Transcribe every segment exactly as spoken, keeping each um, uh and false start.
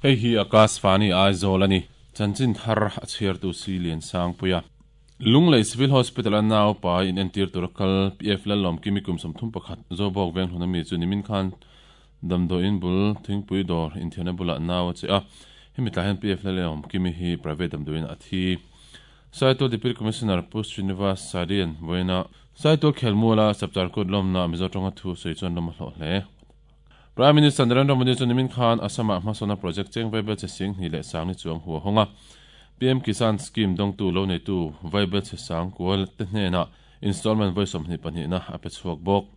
Hei hi Akashvani Aizawl ani. Chanchin thar a chhiar tu si lian sang puia. Lunglei Civil Hospital a nau pa in entir tur kal P F Lalawm Kimi kum sawmthum pakhat Zobawk veng hlun ami chu nimin khan damdawiin bul thingpui dawr inthiarna bulah nau a che a. Hemi tlai hian P F Lalawm Kimi hi private damdawiin a thi. Saitual Deputy Commissioner Pu Srinivas Sarian vawiina Saitual Khelmuala Chapchar Kut lawmna Mizo tawnga thu sawi chuan lawm a hlawh hle. Prime Minister Narendra Modi chu nimin khan Assam-ah hmasawna project cheng vaibel che sing hnih leh sang ni chuang hu a hawng a. P M Kisan Scheme dawngtu lo neitu vaibel che sang kual te hnenah installment vawi sawmhnih pahnihna a pe chhuak bawk.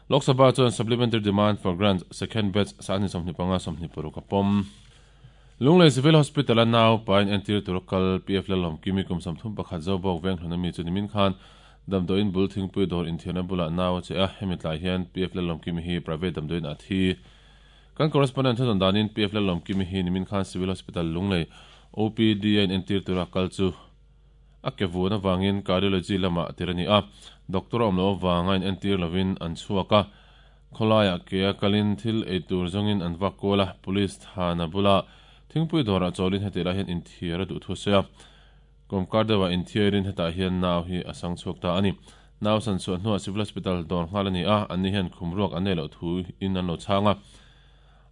Lok Sabha chuan Supplementary Demand for Grants second batch sangni sawmhnih panga sawmhnih paruk a pawm. Lunglei Civil Hospital a nau pain entir tur kal P F Lalawm Kimi kum sawmthum pakhat Zobawk veng hlun ami chu nimin khan damdawiin bul thingpui dawr inthiarna bulah nau a che a. Hemi tlai hian P F Lalawm Kimi hi private damdawiin a thi. Kan correspondent thudawn danin P F Lalawm Kimi hi nimin khan Civil Hospital Lunglei O P D a in entir tura kal chu a ke vuan avangin cardiology lamah tir a ni a. Doctor a awm loh avanga in entir lovin an chhuak a. Khawlaiah ke a kalin thil ei tur zawngin an vak kual a. Police thana bula thingpui dawrah chawlin heti lai hian inthiar a duh thu sawi a. Kawmkar deuhah inthiarin hetah hian nau hi a sang chhuak ta a ni. Nau san chhuah hnuah Civil Hospital dawr nghal a ni a. Anni hian khum ruak an nei loh thu in an lo chhang a.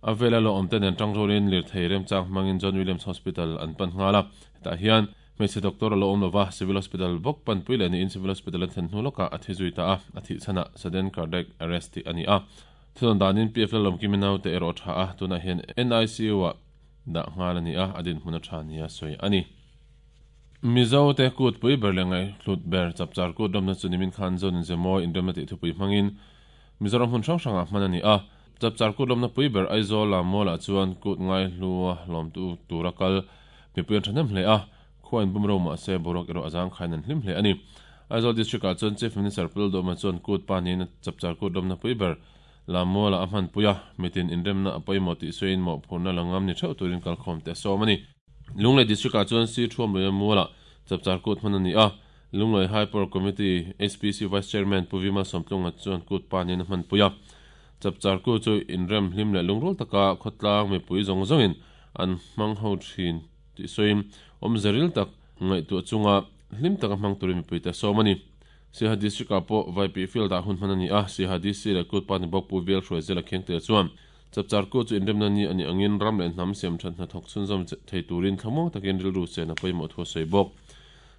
A vela lo awm te nen tang rualin lirthei remchang hmangin John Williams Hospital an pan nghal a. Hetah hian hmeichhe doctor a lo awm lova Civil Hospital bawk panpui leh niin Civil Hospital an thlen hnu lawkah a thi zui ta a. A thih chhanah sudden cardiac arrest tih a ni a. Thudawn danin P F Lalawm Kimi nau te erawh tha a. Tunah hian N I C U ah dah nghal a ni a. A dinhmun a tha nia sawi a ni. Mizo te kut pui ber leh ngai hlut ber Chapchar Kut rawmna chu nimin khan Zon Inzemawi inremna tih thupui hmangin Mizoram hmun hrang hrangah hman a ni a. Chapchar Kut rawmna pui ber Aizawl lam mawlah chuan kut ngai hlua hlawmtu tura kal mipui an thahnem hle a. Khua in bum ro mah se boruak erawh a zang khain an hlim hle a ni. Aizawl District ah chuan Chief Minister Pu Lalduhoma chuan kut pa niin Chapchar Kut rawmna pui ber lam mawlah a hman pui a. Mitin inremna a pawimawh tih sawiin mawhphurhna la ngam ni theuh turin kalkhawm te a sawm a ni. Lunglei District ah chuan Si Thuam Luia Mualah Chapchar Kut hman a ni a. Lunglei High Power Committee H P C Vice Chairman Pu Vima Sawmtlunga chuan kut pa niin a hman pui a. Chapchar Kut chu inrem hlim leh lungrul taka khawtlang mipui zawng zawngin an hmang ho thin tih sawiin awmzeril tak ngaihtuah chunga hlim taka hmang turin mipui te a sawm a ni. Siaha District ah pawh Vaipi Field ah hun hman a ni a. Siaha D C leh kut pa ni bawk Pu Vel Hruaizela Khengte chuan Chapchar Kut chu inremna ni a nih angin ram leh hnam siam that hna thawk chhunzawm thei turin thlamuang takin rilru chen a pawimawh thu a sawi bawk.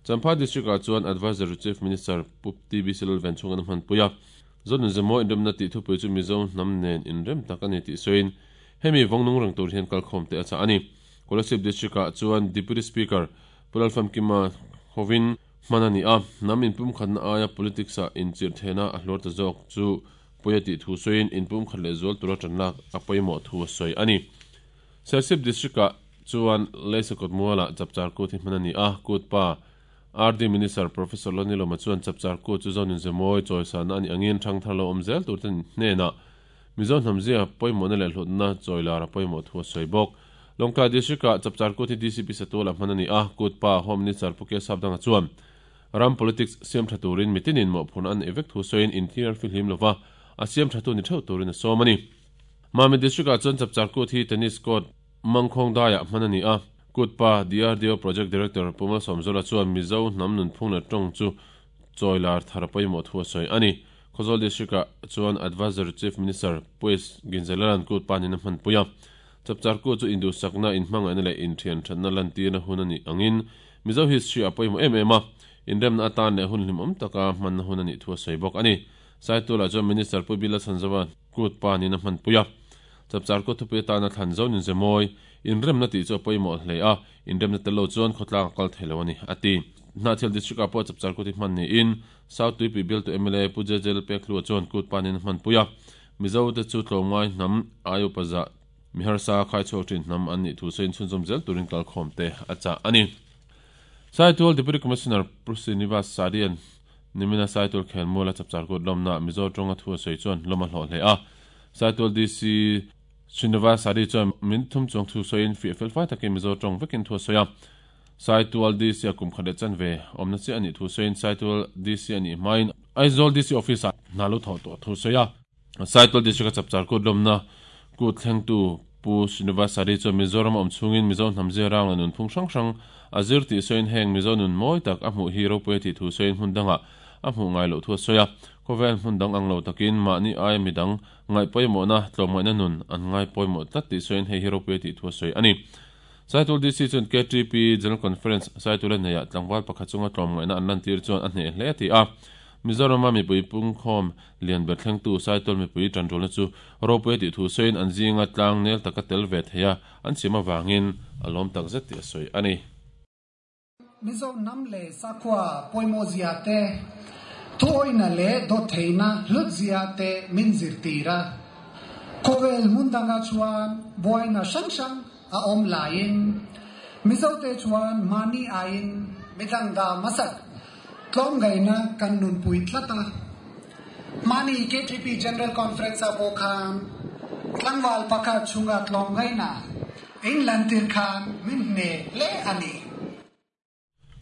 Champhai District ah chuan Advisory Chief Minister Pu T B C Lalven chhung an hman pui a. Zon Inzemawi inremna tih thupui chu Mizo hnam nen inrem tak a ni tih sawiin hemi vawngnung reng tur hian kalkhawm te a chah a ni. Kolasib District ah chuan Deputy Speaker Pu Lalfamkima hovin hman a ni a. Hnam inpumkhatna aia politics ah inchirh thehna a hluar ta zawk chu puia tih thu sawiin inpumkhat leh zual tura tanlak a pawimawh thu a sawi a ni. Serchhip District ah chuan Leisakawt Mualah Chapchar Kut hi hman a ni a. Kut pa R D Minister Professor Loni Lawma chuan Chapchar Kut chu Zon Inzemawi chawisana a nih angin thang thar lo awm zel tur te hnenah Mizo hnamzia pawimawhna leh hlutna chawilar a pawimawh thu a sawi bawk. Lawngtlai District ah Chapchar Kut hi D C P Satuala hman a ni a. Kut pa Home Minister Pu K Sapdanga chuan ram politics siam tha turin mitinin mawhphurhna an nei vek thu sawiin inthiar fihlim lova a siam tha tu ni theuh turin a sawm a ni. Mami District ah chuan Chapchar Kut hi tennis court Mangkhawng daiah hman a ni a. Kut pa D R D O Project Director Pu Malsawmzola chuan Mizo hnam nunphung leh tawng chu chawilar thar a pawimawh thu a sawi a ni. Khawzawl District ah chuan Advisory Chief Minister Pu S Ginzelaran kut pa niin a hman pui a. Chapchar Kut chu induhsakna inhmangaihna leh inthian thatna lantirna hun a nih angin Mizo history a pawimawh em em a. Inremna atan leh hun hlim awm taka hmanna hun a nih thu a sawi bawk a ni. Saitualah chuan Minister Pu Bila Chhanzova kut pa niin a hman pui a. Chapchar Kut thupui atana thlan Zon Inzemawi inremna tih chu a pawimawh hle a. Inremna tel lo chuan khawtlang a kal thei lo a ni a ti. Hnahthial District ah pawh Chapchar Kut hi hman niin South Tuipui bialtu M L A Pu J J Lalpekhlua chuan kut pa niin a hman pui a. Mizo te chu tlawmngai hnam aio paza miharsa khai chhuak thin hnam an nih thu sawiin chhunzawm zel turin kalkhawm te a chah a ni. Saitual Deputy Commissioner Pu Srinivas Sarian nimina Saitual Khelmuala Chapchar Kut lawmna Mizo tawnga thu a sawi chuan lawm a hlawh hle a. Saitual D C Srinivas Sari chuan min thum chuang thu sawiin fiah fel fai takin Mizo tawng vekin thu a sawi a. Saitual D C a kum khat leh chan ve awmna chiah a nih thu sawiin Saitual D C a nih hmain Aizawl D C office ah hna lo thawh tawh thu sawi a. Saitual District a Chapchar Kut lawmna kut thlengtu Pu Srinivasari chuan Mizoram awm chungin Mizo hnam zirang la nunphung hrang hrang a zir tih sawiin heng Mizo nun mawi tak a hmuh hi ropui a tih thu sawiin hmun dangah a hmuh ngai loh thu a sawi a. Khawvel hmun dang ang lo takin mahni aia midang ngaih pawimawhna tlawmngaihna nun an ngai pawimawh tlat tih sawiin hei hi ropui a tih thu a sawi a ni. Saitul D C chuan K T P General Conference Saitula neiah tlangval pakhat chunga tlawmngaihna an lantir chuan a hneh hle a ti a. Mizorama mipui pungkhawm lian ber thlengtu Saitul mipui tanrualna chu ropui a tih thu sawiin an zinga tlang nel taka tel ve thei a, an siam avangin a lawm tak zet tih a sawi a ni. Mizo hnam leh sakhua pawimawh zia te, thuawihna leh dawttheihna hlut zia te min zirtir a. Khawvel hmun dangah chuan buaina hrang hrang a awm laiin Mizo te chuan mahni aiin midang dah hmasak tlawmngaihna kan nunpui tlat a. Mahni K T P General Conference ah pawh khan tlangval pakhat chhunga tlawmngaihna in lantir khan min hneh hle a ni.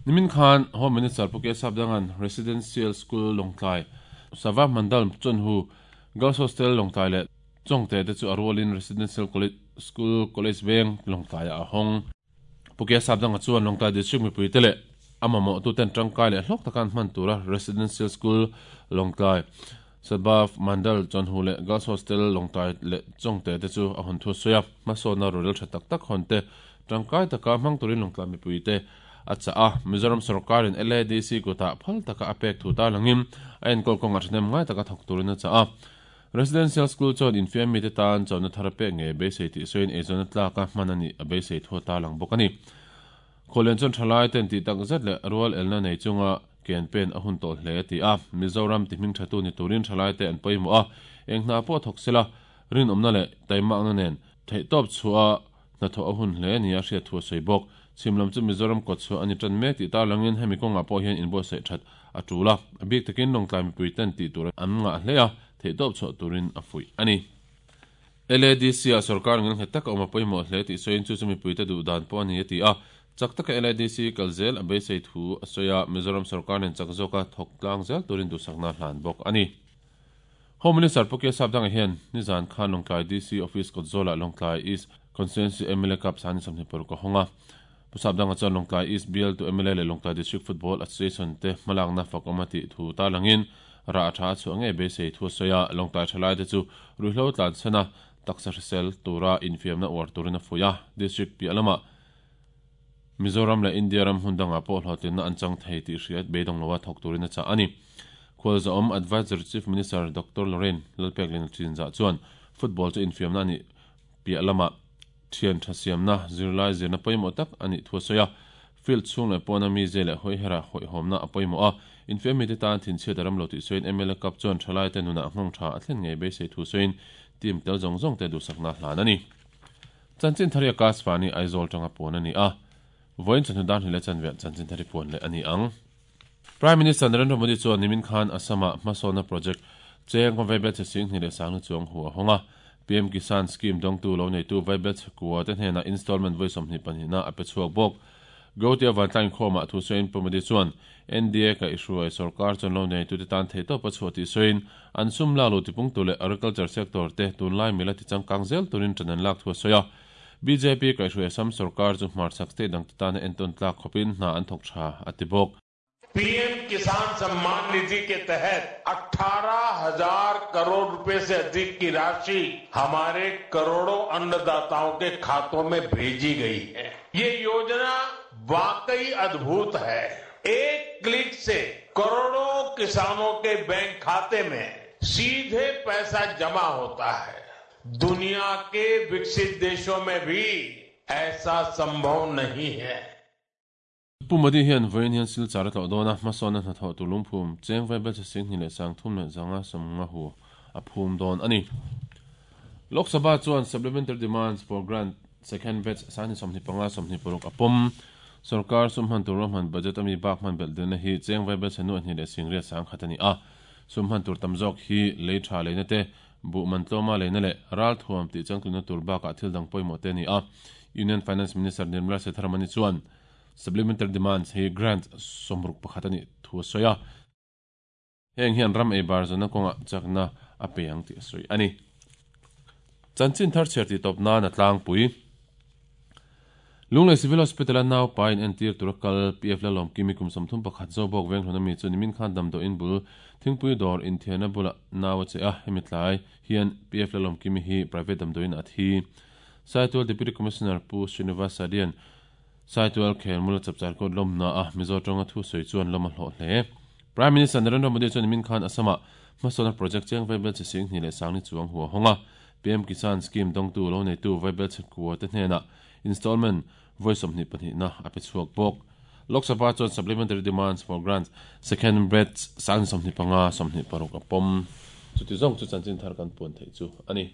Nimin khan Home Minister Pu K Sapdangan Residential School Lawngtlai Sava Mandal Chawnhu Girls Hostel Lawngtlai leh Chawngte te chu a rualin Residential School College Veng Lawngtlai ah a hawng. Pu K Sapdanga chuan Lawngtlai District mipui te leh a mamawh tu ten tangkai leh hlawk taka an hman tura Residential School Lawngtlai Sadbhav Mandal Chawnhu leh Girls Hostel Lawngtlai leh Chawngte te chu a hawn thu a sawi a. Hmasawnna rorel tha tak tak hawn te tangkai taka hmang turin Lawngtlai mipui te a chah a. Mizoram sarkarin L A D C kutah phal taka a pek thu ta langin a enkawl kawnga thahnem ngai taka thawk turin a chah a. Residential School chuan infiam mite tan chawhna thar a pek nge beisei tih sawiin eizawnna tlaka hman a nih a beisei thu a ta lang bawk a ni. Khawlian chuan thalai ten tih tak zet leh rual elna nei chunga ken pen a hun tawh hle a ti a. Mizoram ti hming thatu ni turin thalai te an pawimawh a, eng hna pawh thawk sela rinawmna leh taimakna nen theihtawp chhuah a hnathawh a hun hle ni a hriat thu a sawi bawk. Chhimlam chu Mizoram kawt chhuah a ni tan mek tih tar langin hemi kawngah pawh hian inbuatsaih that a tul a. A bik takin Lawngtlai mipui ten tih tur an ngah hle a, theihtawp chhuah turin a fuih a ni. L A D C ah sarkar ngil nghet taka awm a pawimawh hle tih sawiin chu chu mipui te duh dan pawh a ni a ti a. Chak taka L A D C kal zel a beisei thu a sawi a, Mizoram sarkar nen chak zawka thawk tlang zel turin duhsakna hlan bawk a ni. Home Minister Pu K Sapdanga hian nizan khan Lawngtlai D C Office kawt zawlah Lawngtlai East Constituency M L A Cup sani sawmhnih paruk a hawng a. Pu Sapdanga chuan Lawngtlai East B L to M L A leh Lawngtlai District Football Association te hmalakna fak awm a tih thu ta langin ra a tha a chhuah ngei beisei thu a sawi a. Lawngtlai thalai te chu ruihhlo tlan chhana taksa hrisel tura infiamna uar turin a fuih a. District piah lamah Mizoram leh India ram hmun dangah pawh hlawhtlinna an chang thei tih hriat beidawng loa thawk turin a chah a ni. Khualzawm Advisor Chief Minister Doctor Lorraine Lalpeklin Chinzah chuan football chu infiamna a nih piah lamah thian tha siamna zirlai zirna pawimawh tak a nih thu a sawi a. Field chhung leh pawna mi ze leh hawi hera hawihhawmna a pawimawh a. Infiam mite tan thinchhiat a ram lo tih sawiin M L A Cup chuan thalai te nunah nghawng tha a thlen ngei beisei thu sawiin team tel zawng zawng te duhsakna hlan a ni. Chanchin thari Akashvani Aizawl tanga puan a ni a. Vawiin chawhnu dan hnih leh chanve chanchin thari puan leh a ni ang. Prime Minister Narendra Modi chuan nimin khan Assam-ah hmasawnna project cheng vaibel che sing hnih leh sangna chuang hu a hawng a. P M Kisan scheme dawngtu lo neitu vaibel che kua te hnenah installment vawi sawmhnih pahnihna a pe chhuak bawk. Gauti Avantlain khawmah thu sawiin Pu Modi chuan N D A ka ihruai sarkar chuan lo neitu te tan theihtawp a chhuah tih sawiin an sum la lo tipung tu leh agriculture sector te tunlai mila ti changkang zel turin ṭan an lak thu a sawi a. B J P ka ihruai Assam sarkar chu hmarchhak state dang te tan a enton tlak khawpin hna an thawk tha a ti bawk. P M Kisan Samman Nidhi के तहत अठारह हजार करोड़ रुपए से अधिक की राशि हमारे करोड़ों अन्नदाताओं के खातों में भेजी गई है। ये योजना वाकई अद्भुत है। एक क्लिक से करोड़ों किसानों के बैंक खाते में सीधे पैसा जमा होता है। दुनिया के विकसित देशों में भी ऐसा संभव नहीं है। Pu Modi hian vawiin hian Silchar a tlawh dawn a, hmasawnna hnathawh tur lungphum cheng vaibel che sing hnih leh sang thum leh zanga sawmnga hu a phum dawn a ni. Lok Sabha chuan supplementary demands for grant second batch sangni sawmhnih panga sawmhnih paruk a pawm. Sarkar sum hman tur hman budget ami bak hman belh dilna hi cheng vaibel che nu hnih leh sing riat sang khat a ni a. Sum hman tur tam zawk hi lei tha leina te bu man tlawma leina leh ral thuam tih changtuna tur bakah thil dang pawimawh te a ni a. Union Finance Minister Nirmala Sitharaman chuan supplementary demands hi grant somruk pakhat ani thu a sawi a. Heng hian ram ei bar zawna kawnga chakna a pe ang tih a sawi a ni. Chanchin thar chhiar tih tawp nan a tlangpui. Lunglei Civil Hospital-a nau pa in entir tura kal P F Lalawmkimi kum sawmthum pakhat Zobawk Venghlun ami chu nimin khan damdawiin bul thingpui dawr inthiarna bulah nau a che a, hemi tlai hian P F Lalawmkimi hi private damdawiin a thi. Saitual Deputy Commissioner Pu Srinivas Sadian Saitual Khelmula chapchar kawt lawmna a Mizo tawnga thu sawi chuan lawm a hlawh hle. Prime Minister Narendra Modi chuan nimin khan Assam-ah hmasawnna project cheng vaibel che sing hnih leh sangni chuang hua hawng a, P M Kisan Scheme dawngtu lo neitu vaibel che kua te hnenah installment vawi sawmhnih pahnihna a pe chhuak bawk. Lok Sabha chuan supplementary demands for grants second batch sangni sawmhnih panga sawmhnih paruk a pawm. Chuti zawng chu chanchin thar kan puan theih chu a ni.